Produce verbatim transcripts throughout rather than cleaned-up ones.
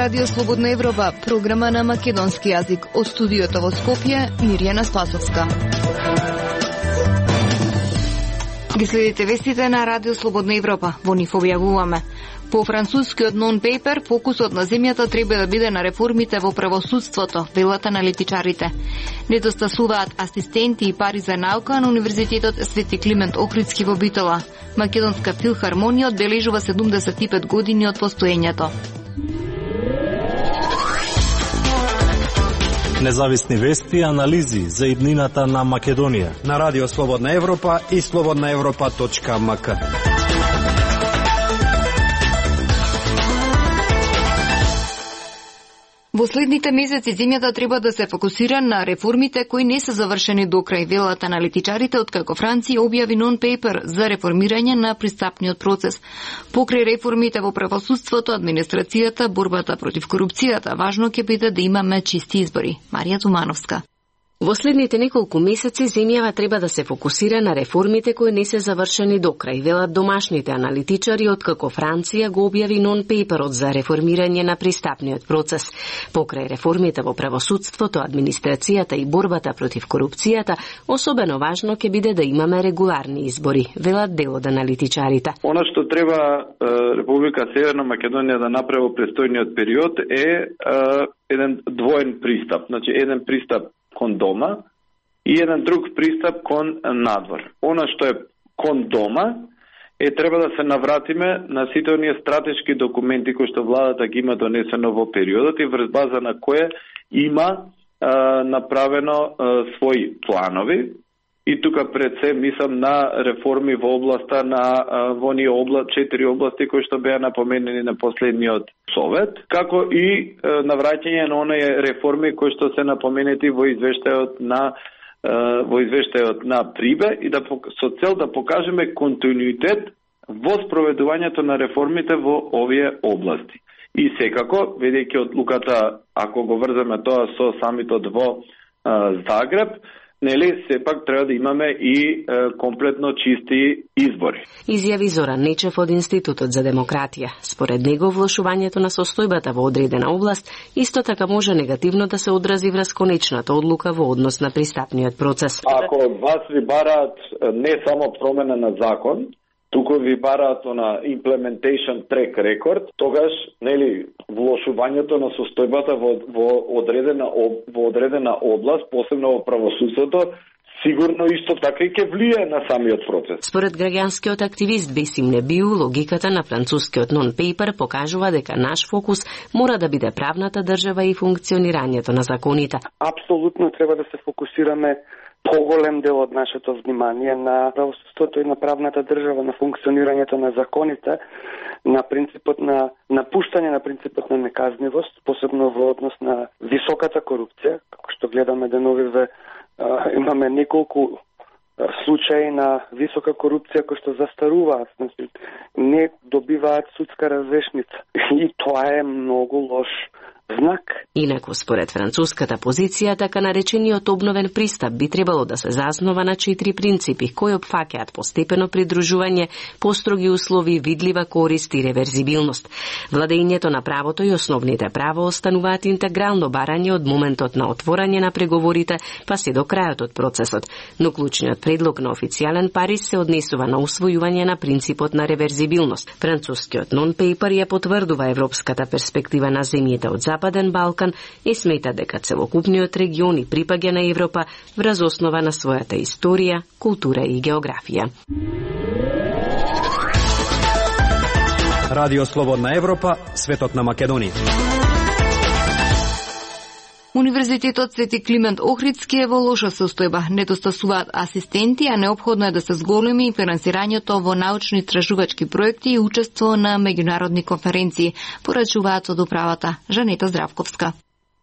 Радио Слободна Европа, програма на македонски јазик. Од студиото во Скопје, Мирјана Спасовска. Ги следите вестите на Радио Слободна Европа. Во нив објавуваме. По францускиот нон-пейпер, фокусот на земјата треба да биде на реформите во правосудството, велат аналитичарите. Недостасуваат асистенти и пари за наука на Универзитетот Свети Климент Охридски во Битола. Македонска филхармонија одбележува седумдесет и пет години од постоењето. Независни вести и анализи за иднината на Македонија на Радио Слободна Европа и слободна европа точка ем ка. Во следните месеци земјата треба да се фокусира на реформите кои не се завршени до крај, велат аналитичарите, откако Франција објави нон-пейпер за реформирање на пристапниот процес. Покрај реформите во правосудството, администрацијата, борбата против корупцијата, важно ќе биде да имаме чисти избори. Марија Тумановска. Во следните неколку месеци земјава треба да се фокусира на реформите кои не се завршени до крај, велат домашните аналитичари, откако Франција го објави нон-пейперот за реформирање на пристапниот процес. Покрај реформите во правосудството, администрацијата и борбата против корупцијата, особено важно ќе биде да имаме регуларни избори, велат дел од аналитичарите. Она што треба Република Северна Македонија да направи во престојниот период е, е еден двоен пристап, значи еден пристап кон дома и еден друг пристап кон надвор. Она што е кон дома е треба да се навратиме на сите оние стратешки документи кои што владата ги има донесено во периодот и врз база на кое има а, направено а, своји планови. И тука пред се мислам на реформи во областа на во оние обла, четири области кои што беа напоменени на последниот совет, како и на враќање на оние реформи кои што се напоменети во извештајот на во извештајот на Прибе и да со цел да покажеме континуитет во спроведувањето на реформите во овие области. И секако, ведејќи одлуката, ако го врземе тоа со самитот во Загреб, нели, сепак треба да имаме и е, комплетно чисти избори. Изјави Зоран Нечев од Институтот за демократија. Според него, влошувањето на состојбата во одредена област исто така може негативно да се одрази врз конечната одлука во однос на пристапниот процес. Ако од вас ви бараат не само промена на закон, туку ви бараат на implementation track record, тогаш, нели, влошувањето на состојбата во, во одредена во одредена област, посебно во правосудството, сигурно исто така и ќе влијае на самиот процес. Според граѓанскиот активист Бесим Небиу, логиката на францускиот нон-пейпер покажува дека наш фокус мора да биде правната држава и функционирањето на законите. Апсолутно треба да се фокусираме поголем дел од нашето внимание на правосудството и на правната држава, на функционирањето на законите, на принципот на напуштање на принципот на неказнивост, посебно во однос на високата корупција, како што гледаме деновиве, имаме неколку случаи на висока корупција кои што застаруваат, значи не добиваат судска разрешница. И тоа е многу лош знак. Инаку, според француската позиција, така наречениот обновен пристап би требало да се заснова на четири принципи кои опфаќаат постепено придружување, построги услови, видлива корист и реверзибилност. Владењето на правото и основните права остануваат интегрално барање од моментот на отворање на преговорите па се до крајот од процесот, но клучниот предлог на официјален Париз се однесува на усвојување на принципот на реверзибилност. Францускиот нон-пейпер ја потврдува европската перспектива на земјите од Западен Балкан и смета дека целокупниот регион и припаѓа на Европа врз основа на својата историја, култура и географија. Радио Слободна Европа, светот на Македонија. Универзитетот Свети Климент Охридски е во лоша состојба. Недостасуваат асистенти, а неопходно е да се зголеми и финансирањето во научно-истражувачки проекти и учество на меѓународни конференции, порачуваат од управата. Жанета Здравковска.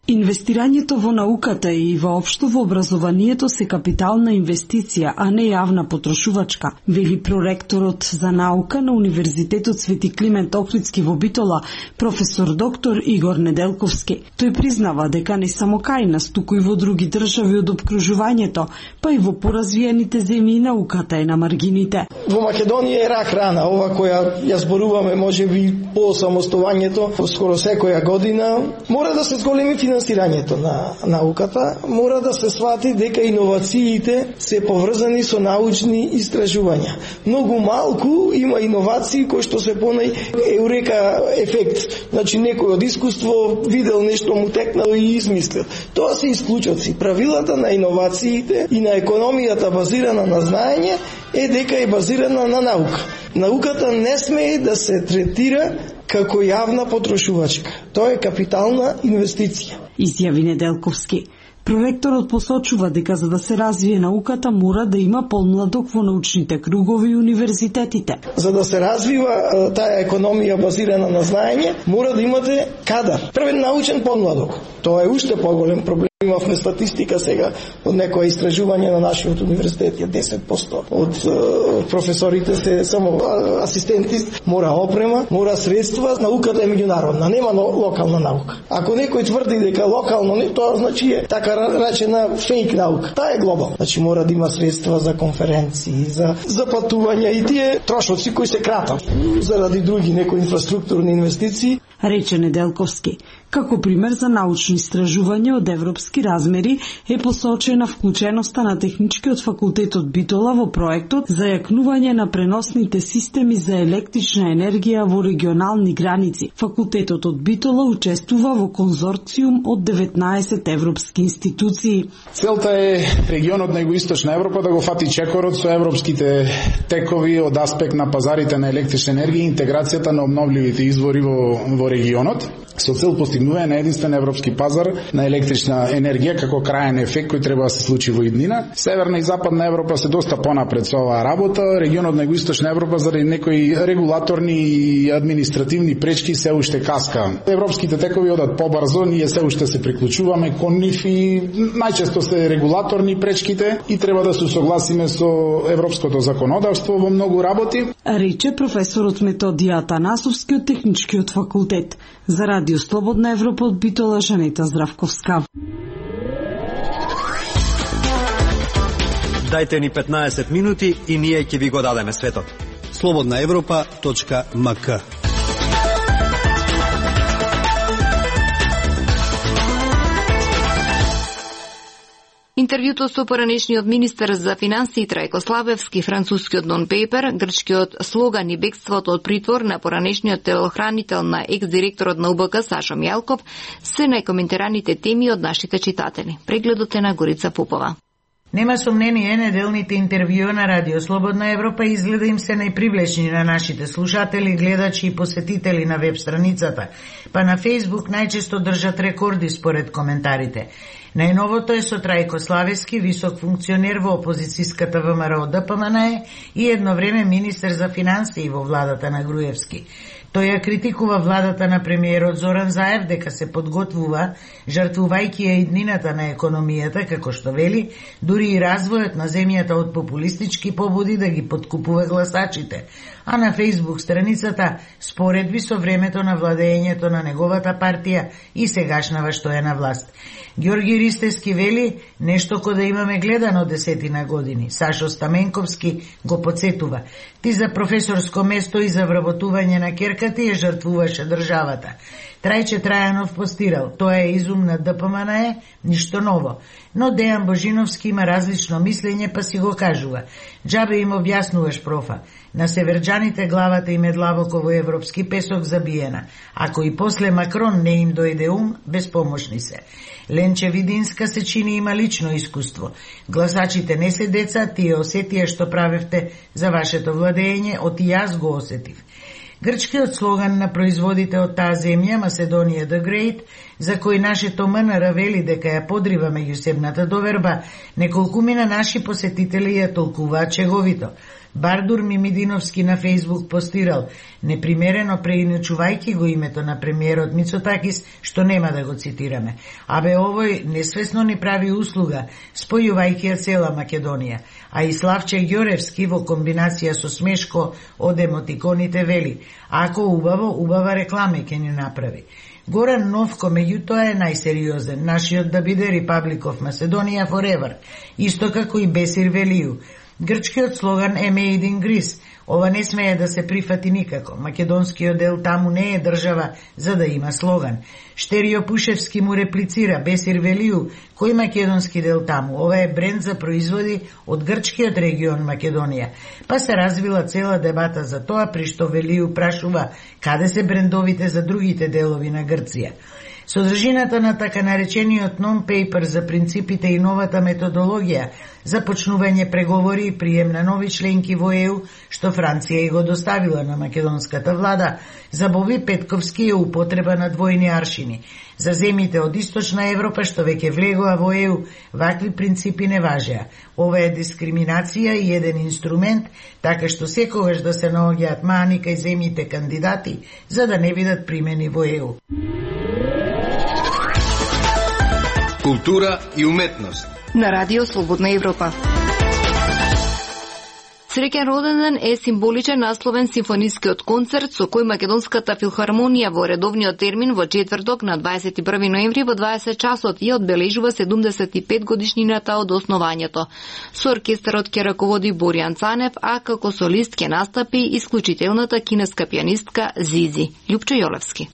Инвестирањето во науката и воопшто во образованието се капитална инвестиција, а не јавна потрошувачка, вели проректорот за наука на Универзитетот Свети Климент Охридски во Битола, професор доктор Игор Неделковски. Тој признава дека не само кај нас, туку и во други држави од опкружувањето, па и во поразвиените земји науката е на маргините. Во Македонија е рак рана, ова која ја зборуваме можеби по самостојувањето скоро секоја година, мора да се зголеми финансирањето на науката, мора да се свати дека иновациите се поврзани со научни истражувања. Многу малку има иновации кои што се понај еурека ефект. Значи некој од искуство видел нешто, му текнало и измислил. Тоа се исклучоци. Правилата на иновациите и на економијата базирана на знаење е дека е базирана на наука. Науката не смее да се третира како јавна потрошувачка. Тоа е капитална инвестиција, изјави Неделковски. Проректорот посочува дека за да се развие науката мора да има помладок во научните кругови и универзитетите. За да се развива таа економија базирана на знаење, мора да имате кадар. Првен научен помладок. Тоа е уште поголем проблем. Имавме статистика сега од некоја истражување на нашиот универзитет, десет проценти од uh, професорите се само асистенти. Мора опрема, мора средства, науката е меѓународна, нема локална наука. Ако некој тврди дека локално не, тоа значи е така речена фейк наука. Таа е глобална. Значи мора да има средства за конференции, за за патувања и тие трошоци кои се кратат заради други некои инфраструктурни инвестиции. Рече Неделковски. Како пример за научно истражување од европски размери е посочена вклученоста на Техничкиот факултетот Битола во проектот за јакнување на преносните системи за електрична енергија во регионални граници. Факултетот од Битола учествува во конзорциум од деветнаесет европски институции. Целта е регионот на Југоисточна Европа да го фати чекорот со европските текови од аспект на пазарите на електрична енергија и интеграцијата на обновливите извори во, во регионот, со цел постигнување на единствен европски пазар на електрична енергија како крајен ефект кој треба да се случи во иднина. Северна и Западна Европа се доста понапред со оваа работа. Регионот на Југоисточна Европа заради некои регулаторни и административни пречки се уште каска. Европските текови одат побрзо, ние се уште се приклучуваме кон нив и најчесто се регулаторни пречките и треба да се согласиме со европското законодавство во многу работи. Рече професорот Методија Атанасовски од Техничкиот факултет. За Радио Слободна Европа од Битола, Жанета Здравковска. Дајте ни петнаесет минути и ние ќе ви го дадеме светот. слободна европа точка ем ка. Интервјуто со поранешниот министер за финансии Трајко Славевски, францускиот нон-пейпер, грчкиот слоган и бегството од притвор на поранешниот телохранител на екс-директорот на У Б К Сашо Мјалков се најкоментираните теми од нашите читатели. Прегледот е на Горица Попова. Нема сомнение, неделните интервјуа на Радио Слободна Европа изгледа им се најпривлечни на нашите слушатели, гледачи и посетители на веб страницата, па на Фејсбук најчесто држат рекорди според коментарите. Најновото е со Трајко Славевски, висок функционер во опозицијската В М Р Д П М Н Е и едно време министер за финансии во владата на Груевски. Тој ја критикува владата на премиерот Зоран Заев дека се подготвува, жртвувајќи ја иднината на економијата, како што вели, дури и развојот на земјата од популистички побуди да ги подкупува гласачите. А на Фејсбук страницата споредби со времето на владењето на неговата партија и сегашнава што е на власт. Ѓорги Ристевски вели нешто ко да имаме гледано десетина години. Сашо Стаменковски го подсетува. Ти за професорско место и за вработување на керкати ја жртвуваше државата. Трајче Трајанов постирал, тоа е изум на Д П М Н Е, ништо ново. Но Дејан Божиновски има различно мислење, па си го кажува. Джабе им објаснуваш, профа. На северџаните главата им е длабоко во европски песок забиена. Ако и после Макрон не им дојде ум, безпомошни се. Ленче Видинска се чини има лично искуство. Гласачите не се деца, тие осетија што правевте за вашето владење, оти јас го осетив. Грчкиот слоган на производите од таа земја, Macedоnia the Great, за кој нашето ем ен ер вели дека ја подрива меѓусебната доверба, неколкумина наши посетители ја толкуваат чеговито. Бардур Мимидиновски на Фейсбук постирал, непримерено преиначувајќи го името на премиерот Мицотакис, што нема да го цитираме. Абе овој несвесно ни прави услуга, спојувајќи ја цела Македонија. А и Славче Ѓоревски во комбинација со смешко од емотиконите вели, ако убаво, убава рекламе ќе ни направи. Горан Новко меѓутоа е најсериозен, нашиот да биде Republic of Macedonia forever, исто како и Бесир Велију. Грчкиот слоган е Made in Greece. Ова не смее да се прифати никако. Македонскиот дел таму не е држава за да има слоган. Штерио Пушевски му реплицира, Бесир Велију, кој македонски дел таму? Ова е бренд за производи од грчкиот регион Македонија. Па се развила цела дебата за тоа, при што Велију прашува каде се брендовите за другите делови на Грција. Содржината на така наречениот non-paper за принципите и новата методологија за почнување преговори и прием на нови членки во Е У, што Франција и го доставила на македонската влада, за Боби Петковски е употреба на двојни аршини. За земите од Источна Европа што веќе влегоа во Е У, вакви принципи не важеа. Ова е дискриминација и еден инструмент, така што секогаш да се наоѓаат мани кај земите кандидати, за да не бидат примени во Е У. Култура и уметност на Радио Слободна Европа. Среќен роден ден е символичен насловен симфонискиот концерт со кој Македонската филхармонија во редовниот термин во четврток на дваесет и први ноември во дваесет часот ја одбележува седумдесет и пет годишнината од основањето. Со оркестарот ќе раководи Боријан Цанев, а како солист ќе настапи исклучителната кинеска пианистка Зизи. Љупчо Јолевски.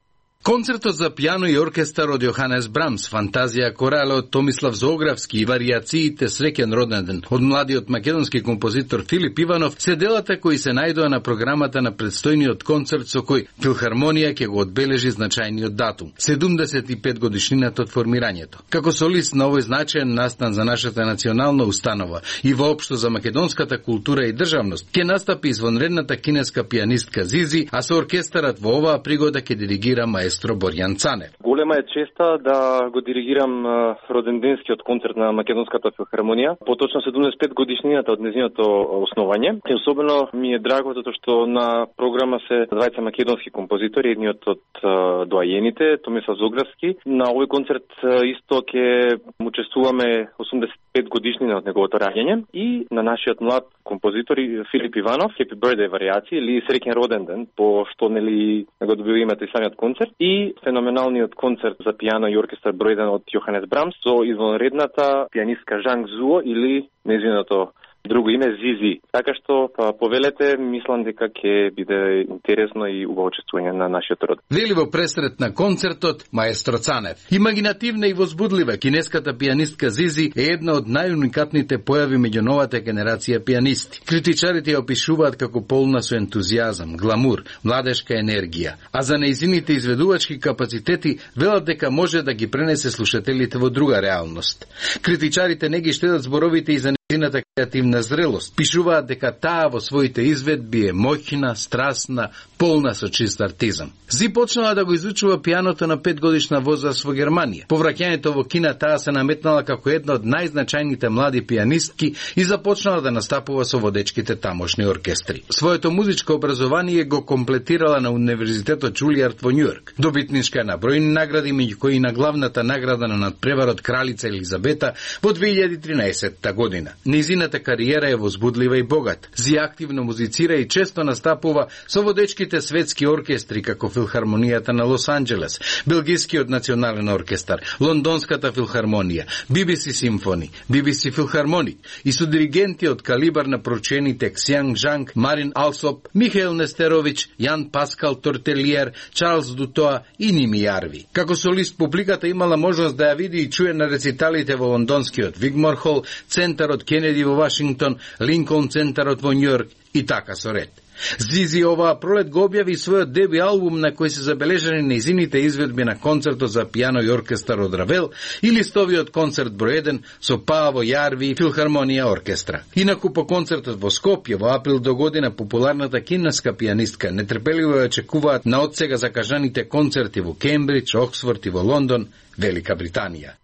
Концертот за пијано и оркестар од Јоханес Брамс, Фантазија корале од Томислав Зографски и вариациите Среќен роден ден од младиот македонски композитор Филип Иванов се делата кои се најдоа на програмата на предстојниот концерт со кој Филхармонија ќе го одбележи значајниот датум – седумдесет и пет годишнината од формирањето. Како солист на овој значаен настан за нашата национална установа и воопшто за македонската култура и државност, ќе настапи извонредната кинеска пианистка Зизи, а со оркестарот во оваа пригода ќе диригира маестро Боријан Цанев. Голема е честа да го диригирам роденденскиот концерт на Македонската филхармонија, поточно седумдесет и пет годишнината од нејзиното основање. И особено ми е драго затоа што на програма се двајца македонски композитори, едниот од доајените, Томислав Зографски. На овој концерт исто ќе учествуваме осумдесет и пет годишнина од неговото раѓање и на нашиот млад композитор Филип Иванов, Happy Birthday вариации или Среќен роден ден, по што нели го добива името и самиот концерт. И феноменалниот концерт за пијано и оркестар број еден од Јоханес Брамс со извонредната пианистка Жанг Зуо или нејзиното друго име Зизи. Така што па, повелете, мислам дека ќе биде интересно и убаво учествување на нашиот род. Вели во пресрет на концертот маестро Цанев. Имагинативна и возбудлива кинеската пианистка Зизи е една од најуникатните појави меѓу новата генерација пианисти. Критичарите ја опишуваат како полна со ентузијазам, гламур, младешка енергија, а за нејзините изведувачки капацитети велат дека може да ги пренесе слушателите во друга реалност. Критичарите не ги штедат зборовите и за нејзината креативна зрелост. Пишуваат дека таа во своите изведби е моќна, страстна, полна со чист артизам. Зи почнала да го изучува пијаното на пет годишна возраст во Германија. По враќањето во Кина таа се наметнала како една од најзначајните млади пианистки и започнала да настапува со водечките тамошни оркестри. Своето музичко образование го комплетирала на Универзитетот Џулијард во Њујорк. Добитничка е на бројни награди, меѓу кои на главната награда на надпреварот Кралица Елизабета во две илјади и тринаесетта година. Низината кариера е возбудлива и богата. Зи активно музицира и често настапува со водечките светски оркестри како Филхармонијата на Лос Анџелес, Белгискиот национален оркестар, Лондонската филхармонија, Би Би Си симфони, Би Би Си филхармоник и со диригенти од калибар на прочените Ксјанг Жанг, Марин Алсоп, Михаил Нестерович, Јан Паскал Тортелиер, Чарлз Дутоа и Ними Јарви. Како солист публиката имала можност да ја види и чуе на рециталите во лондонскиот Вигмор Хол, центарот Кенеди во Вашингтон, Линколн центарот во Њујорк и така со ред. Зизи оваа пролет го објави својот деби албум на кој се забележани нејзините изведби на концертот за пијано и оркестар од Равел и листовиот концерт број еден со Пааво Јарви и Филхармонија оркестра. Инаку по концертот во Скопје во април до година популарната кинеска пијанистка нетрпеливо ја очекуваат на одсега закажаните концерти во Кембридж, Оксфорд и во Лондон, Велика Британија.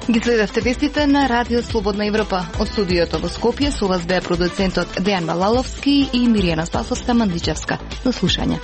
Ги следевте вестите на Радио Слободна Европа. Од студиото во Скопје со вас беа продуцентот Дејан Балаловски и Миријана Спасовска Мандичевска. До слушање.